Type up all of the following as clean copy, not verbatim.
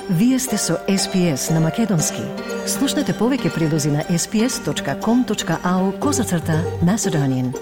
Вие сте со SPS на Македонски. Слушнете повеќе прилози на sps.com.au/Macedonian.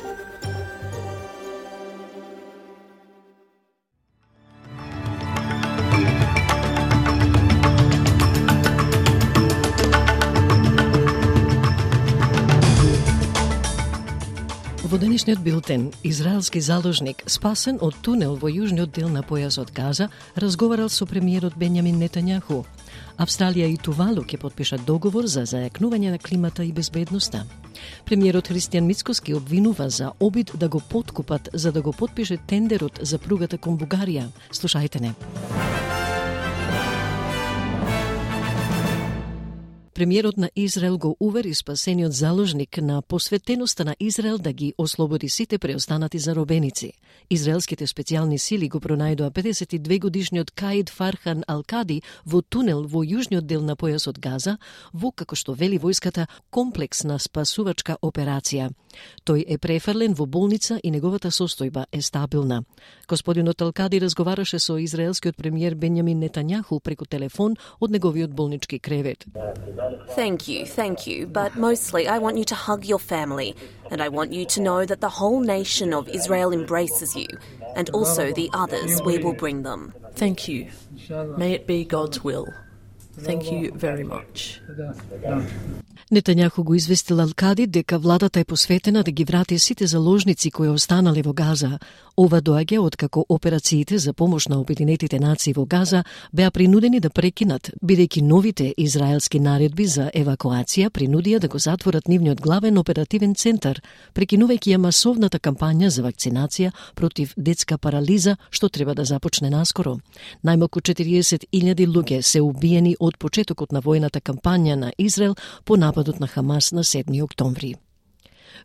Во денешниот билтен, израелски заложник, спасен од тунел во јужниот дел на појасот Газа, разговарал со премиерот Бенјамин Нетањаху. Австралија и Тувалу ќе потпишат договор за зајакнување на климата и безбедноста. Премиерот Христијан Мицкоски обвинува за обид да го поткупат за да го потпише тендерот за пругата кон Бугарија. Слушајте не. Премиерот на Израел го увери спасениот заложник на посветеноста на Израел да ги ослободи сите преостанати заробеници. Израелските специјални сили го пронајдоа 52-годишниот Каид Фархан Алкади во тунел во јужниот дел на појасот Газа, во, како што вели војската, комплексна спасувачка операција. Тој е префрлен во болница и неговата состојба е стабилна. Господинот Алкади разговараше со израелскиот премиер Бенјамин Нетањаху преку телефон од неговиот болнички кревет. Thank you, but mostly I want you to hug your family, and I want you to know that the whole nation of Israel embraces you, and also the others, we will bring them. Thank you. May it be God's will. Thank you very much. Нетањаху го известил Алкади дека владата е посветена да ги врати сите заложници кои останале во Газа. Ова доаѓа откако операциите за помош на Обединетите нации во Газа беа принудени да прекинат, бидејќи новите израелски наредби за евакуација принудија да го затворат нивниот главен оперативен центар, прекинувајќи ја масовната кампања за вакцинација против детска парализа, што треба да започне наскоро. Најмалку 40.000 луѓе се убиени од почетокот на војната кампања на Израел по нападот на Хамас на 7 октомври.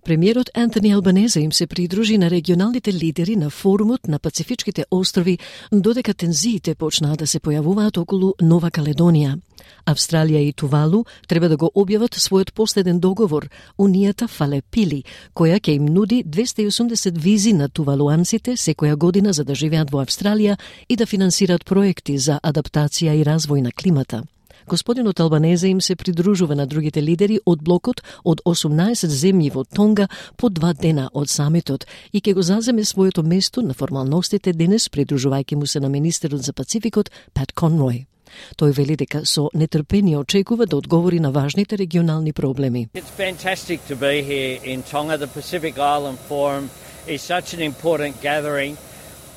Премиерот Антони Албанезе им се придружи на регионалните лидери на форумот на Пацифичките острови, додека тензиите почнаа да се појавуваат околу Нова Каледонија. Австралија и Тувалу треба да го објават својот последен договор, унијата Фалепили, која ќе им нуди 280 визи на тувалуанците секоја година за да живеат во Австралија и да финансираат проекти за адаптација и развој на климата. Господинот Албанезе им се придружува на другите лидери од блокот од 18 земји во Тонга по 2 дена од самитот и ќе го заземе своето место на формалностите денес, придружувајќи му се на министерот за Пацификот Пат Конрој. Тој вели дека со нетрпение очекува да одговори на важните регионални проблеми. It's fantastic to be here in Tonga. The Pacific Island Forum is such an important gathering.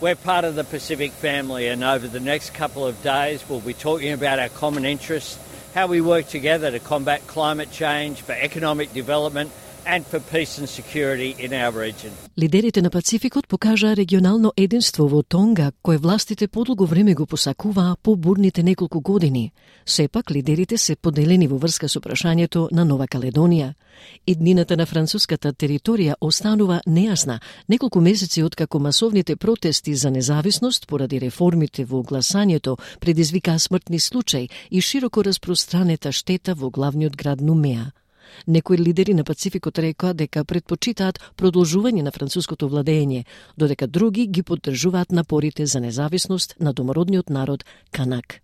We're part of the Pacific family, and over the next couple of days we'll be talking about our common interests, how we work together to combat climate change, for economic development and for peace and security in our region. Лидерите на Пацификот покажаа регионално единство во Тонга, кое властите подолго време го посакуваа по бурните неколку години. Сепак, лидерите се поделени во врска со прашањето на Нова Каледонија. Иднината на француската територија останува нејасна, неколку месеци откако масовните протести за независност поради реформите во гласањето предизвикаа смртни случаи и широко распространета штета во главниот град Нумеа. Некои лидери на Пацификот рекоа дека предпочитаат продолжување на француското владење, додека други ги поддржуваат напорите за независност на домородниот народ Канак.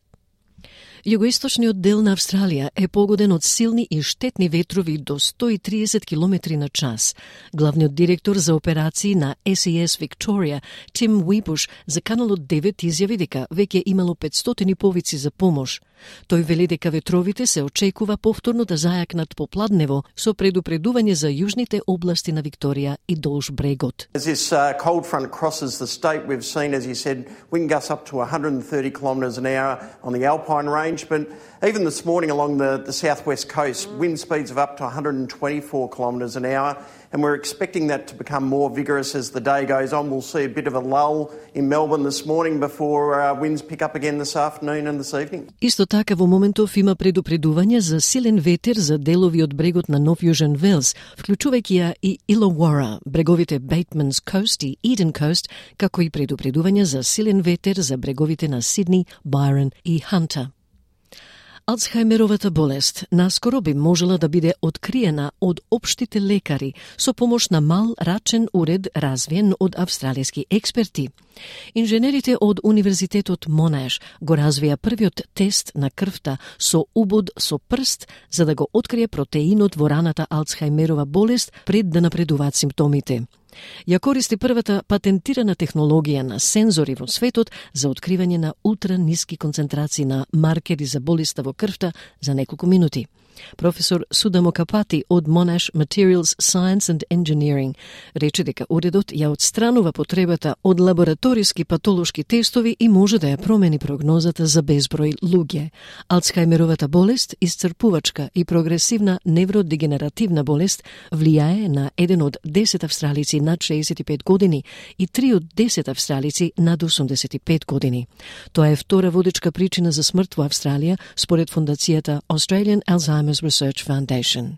Југоисточниот дел на Австралија е погоден од силни и штетни ветрови до 130 км на час. Главниот директор за операции на SES Victoria, Тим Уибуш, за каналот 9 изјави дека веќе имало 500 повици за помош. Тој вели дека ветровите се очекува повторно да зајакнат попладнево со предупредување за јужните области на Викторија и долж брегот. As this cold front crosses the state, we've seen, as you said, wind gusts up to 130 kilometres an hour on the Alpine range, but even this morning along the southwest coast, wind speeds of up to 124 kilometres an hour, and we're expecting that to become more vigorous as the day goes on. We'll see a bit of a lull in Melbourne this morning before winds pick up again this afternoon and this evening. Исто така во моментов има предупредување за силен ветер за делови од брегот на Нов Јужен Велс, вклучувајќи ја и Illawarra, бреговите Bateman's Coast и Eden Coast, како и предупредување за силен ветер за бреговите на Сидни, Byron и Hunter. Алцхајмеровата болест наскоро би можела да биде откриена од општите лекари со помош на мал рачен уред развиен од австралијски експерти. Инженерите од Универзитетот Монаш го развија првиот тест на крвта со убод со прст за да го открие протеинот во раната Алцхајмерова болест пред да напредуваат симптомите. Ја користи првата патентирана технологија на сензори во светот за откривање на ултраниски концентрации на маркери за болеста во крвта за неколку минути. Професор Судамо Капати од Monash Materials Science and Engineering рече дека уредот ја отстранува потребата од лабораториски патолошки тестови и може да ја промени прогнозата за безброј луѓе. Алцхајмеровата болест, исцрпувачка и прогресивна невродегенеративна болест, влијае на 1 од 10 австралици над 65 години и 3 од 10 австралици над 85 години. Тоа е втора водечка причина за смрт во Австралија, според фондацијата Australian Alzheimer's Research Foundation.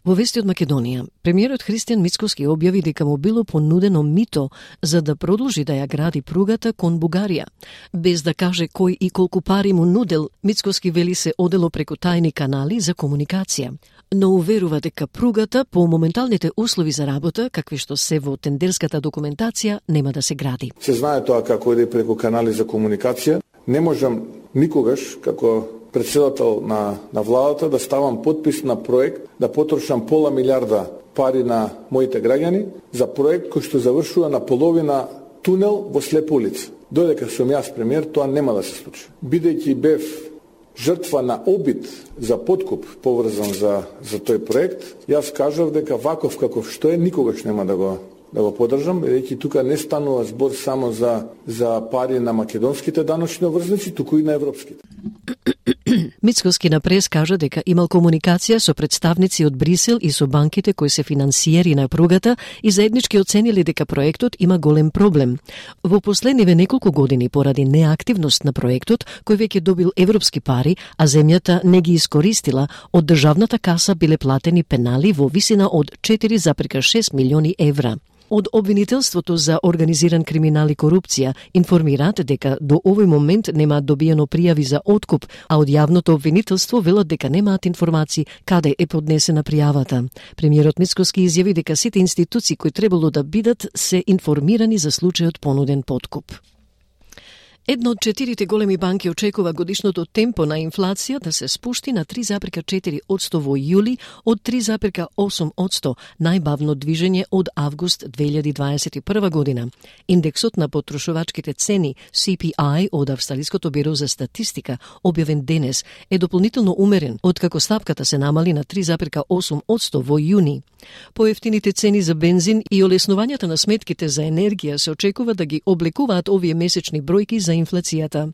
Во вести од Македонија, премиерот Христијан Мицкоски објави дека му било понудено мито за да продолжи да ја гради пругата кон Бугарија. Без да каже кој и колку пари му нудел, Мицкоски вели се одело преку тајни канали за комуникација. Но уверува дека пругата по моменталните услови за работа, какви што се во тендерската документација, нема да се гради. Се знае тоа како иде преку канали за комуникација. Не можам никогаш, како председател на владата, да ставам подпис на проект, да потрошам пола милиарда пари на моите граѓани за проект кој што завршува на половина тунел во слепа улица. Додека сум јас премиер, тоа нема да се случи. Бидејќи бев жртва на обид за подкуп поврзан за тој проект, јас кажав дека ваков каков што е, никогаш нема да го поддржам, бидејќи тука не станува збор само за пари на македонските даночни обврзници, туку и на европските. Мицкоски на прес кажа дека имал комуникација со представници од Брисел и со банките кои се финансиери на пругата и заеднички оценили дека проектот има голем проблем. Во последниве неколку години поради неактивност на проектот, кој веќе добил европски пари, а земјата не ги искористила, од државната каса биле платени пенали во висина од 4,6 милиони евра. Од обвинителството за организиран криминал и корупција информираат дека до овој момент немаат добиено пријави за откуп, а од јавното обвинителство велат дека немаат информации каде е поднесена пријавата. Премиерот Мицкоски изјави дека сите институции кои требало да бидат се информирани за случајот понуден подкуп. Една од 4 големи банки очекува годишното темпо на инфлација да се спушти на 3,4% во јули од 3,8%, најбавно движење од август 2021 година. Индексот на потрошувачките цени CPI од Австралиското биро за статистика, објавен денес, е дополнително умерен, откако стапката се намали на 3,8% во јуни. Поевтините цени за бензин и олеснувањата на сметките за енергија се очекува да ги облекуваат овие месечни бројки за инфлацијата.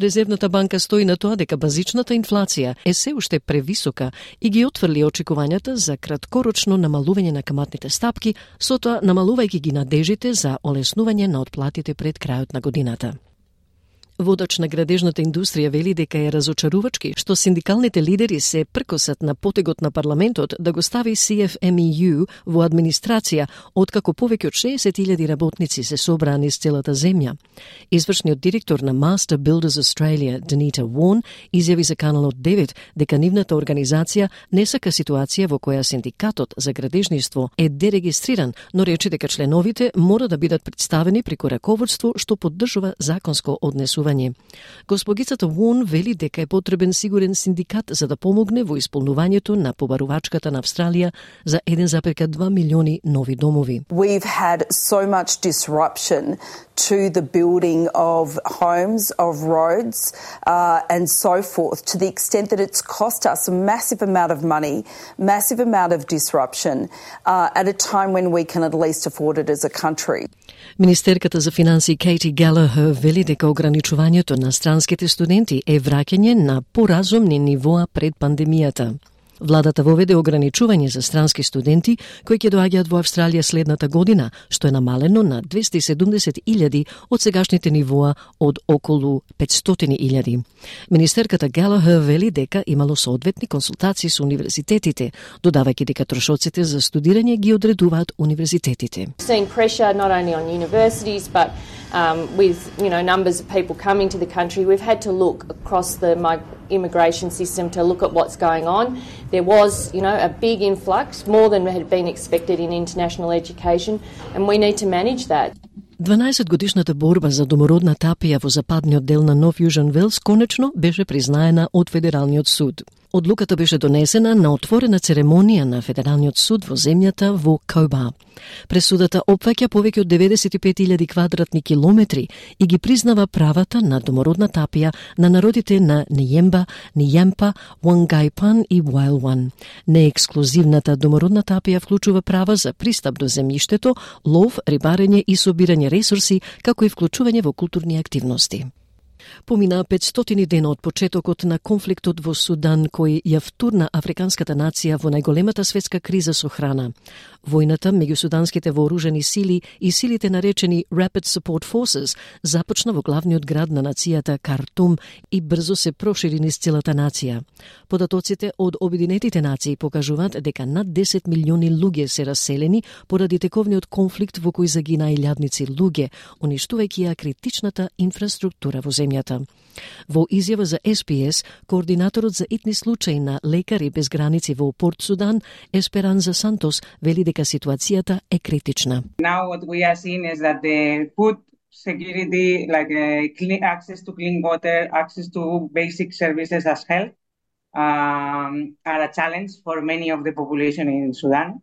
Резервната банка стои на тоа дека базичната инфлација е се уште превисока и ги отфрли очекувањата за краткорочно намалување на каматните стапки, со тоа намалувајќи ги надежите за олеснување на отплатите пред крајот на годината. Водач на градежната индустрија вели дека е разочарувачки што синдикалните лидери се пркосат на потегот на парламентот да го стави CFMEU во администрација, откако повеќе од 60,000 работници се собраа низ целата земја. Извршниот директор на Master Builders Australia, Denita Warren, изјави за Каналот 9 дека нивната организација не сака ситуација во која синдикатот за градежништво е дерегистриран, но рече дека членовите мора да бидат представени преку раководство што поддржува законско однесување. Госпогицата Вон вели дека е потребен сигурен синдикат за да помогне во исполнувањето на побарувачката на Австралија за 1,2 милиони нови домови. We've had so much disruption to the building of homes, of roads, and so forth, to the extent that it's cost us a massive amount of money, massive amount of disruption, at a time when we can at least afford it as a country. Министерката за финансии Кейти Галахер вели дека ограничувањето на странските студенти е враќање на поразумни нивоа пред пандемијата. Владата воведе ограничување за странски студенти кои ќе доаѓаат во Австралија следната година, што е намалено на 270,000 од сегашните нивоа од околу 500,000. Министерката Галахер вели дека имало соодветни консултации со универзитетите, додавајќи дека трошоците за студирање ги одредуваат универзитетите. Seeing pressure not only on universities but with numbers of people coming to the country, we've had to look across the immigration system to look at what's going on. There was, a big influx, more than had been expected in international education, and we need to manage that. 12-годишната борба за домородна тапија во западниот дел на Нов Јужен Велс конечно беше признаена од Федералниот суд. Одлуката беше донесена на отворена церемонија на Федералниот суд во земјата во Коба. Пресудата опфаќа повеќе од 95.000 квадратни километри и ги признава правата на домородна тапија на народите на Ниемба, Нијемпа, Уангайпан и Уајлван. Неексклузивната домородна тапија вклучува права за пристап до земјиштето, лов, рибарење и собирање ресурси, како и вклучување во културни активности. Помина 500 дена од почетокот на конфликтот во Судан, кој ја втурна африканската нација во најголемата светска криза со храна. Војната меѓу суданските вооружени сили и силите наречени Rapid Support Forces започна во главниот град на нацијата Картум и брзо се прошири низ целата нација. Податоците од Обединетите нации покажуваат дека над 10 милиони луѓе се раселени поради тековниот конфликт во кој загина илјадници луѓе, уништувајќи ја критичната инфраструктура во земјата. Во изјава за SPS, координаторот за итни случаи на Лекари без граници во Порт Судан, Есперанза Сантос, вели дека ситуацијата е критична. Now what we are seeing is that the food security, like access to clean water, access to basic services as health, are a challenge for many of the population in Sudan.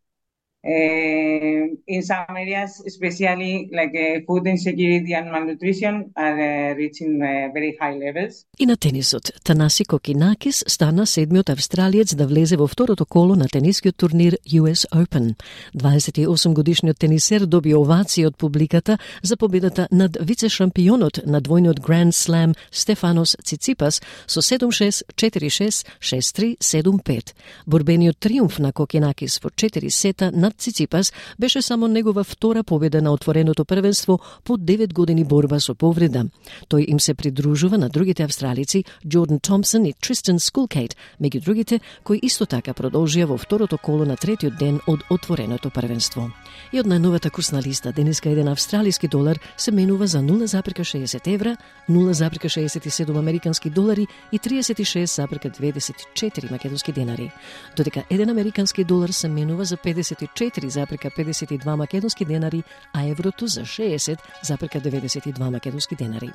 In some areas, especially like food insecurity and malnutrition, are reaching very high levels. И на тенисот, Танаси Кокинакис стана седмиот австралиец да влезе во второто коло на тенискиот турнир US Open. 28-годишниот тенисер доби овации од публиката за победата над вице-шампионот на двојниот Grand Slam Стефанос Циципас со 7-6, 4-6, 6-3, 7-5. Борбениот триумф на Кокинакис во 4 сета над Циципас беше само негова втора победа на отвореното првенство по 9 години борба со повреда. Тој им се придружува на другите австралици Джордан Томпсон и Тристан Скулкейт, меѓу другите кои исто така продолжија во второто коло на третиот ден од отвореното првенство. И од најновата курсна листа, денеска еден австралиски долар се менува за 0,60 евра, 0,67 американски долари и 36,24 македонски денари. Додека еден американски долар се менува за 54,52 македонски денари, а еврото за 60,92 македонски денари.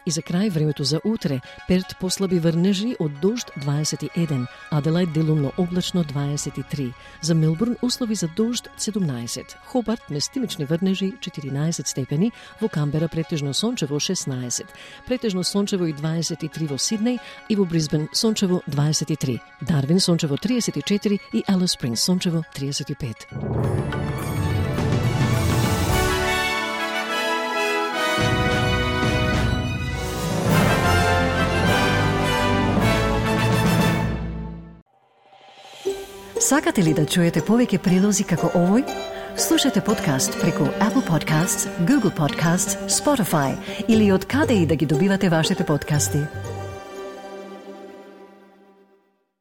И за крај времето за утре: Перт послаби врнежи од дожд 21, Аделајд делумно облачно 23, за Мелбурн услови за дожд 17, Хобарт местимични врнежи 14 степени, во Камбера претежно сончево 16, претежно сончево и 23 во Сиднеј и во Брисбен сончево 23, Дарвин сончево 34 и Алис Спрингс сончево 35. Сакате ли да чуете повеќе прилози како овој? Слушате подкаст преку Apple Podcasts, Google Podcasts, Spotify или од каде и да ги добивате вашите подкасти.